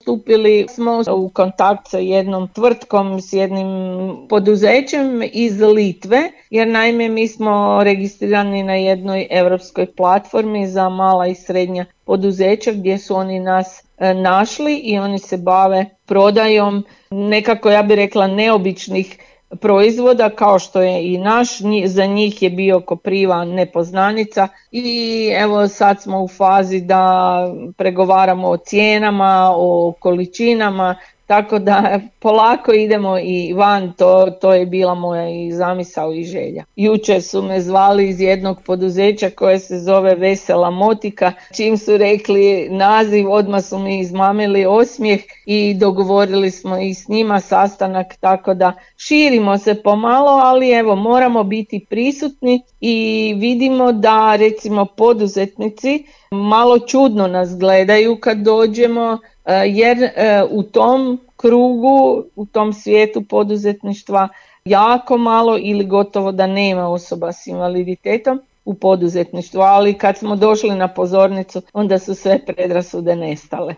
stupili smo u kontakt sa jednom tvrtkom, s jednim poduzećem iz Litve, jer naime mi smo registrirani na jednoj europskoj platformi za mala i srednja poduzeća gdje su oni nas našli i oni se bave prodajom nekako, ja bih rekla, neobičnih proizvoda kao što je i naš. Za njih je bio kopriva nepoznanica i evo sad smo u fazi da pregovaramo o cijenama, o količinama, tako da polako idemo i van, to je bila moja i zamisao i želja. Jučer su me zvali iz jednog poduzeća koje se zove Vesela motika, čim su rekli naziv odmah su mi izmamili osmijeh i dogovorili smo i s njima sastanak, tako da širimo se pomalo, ali evo moramo biti prisutni i vidimo da recimo poduzetnici malo čudno nas gledaju kad dođemo, jer u tom krugu, u tom svijetu poduzetništva jako malo ili gotovo da nema osoba s invaliditetom u poduzetništvu, ali kad smo došli na pozornicu onda su sve predrasude nestale.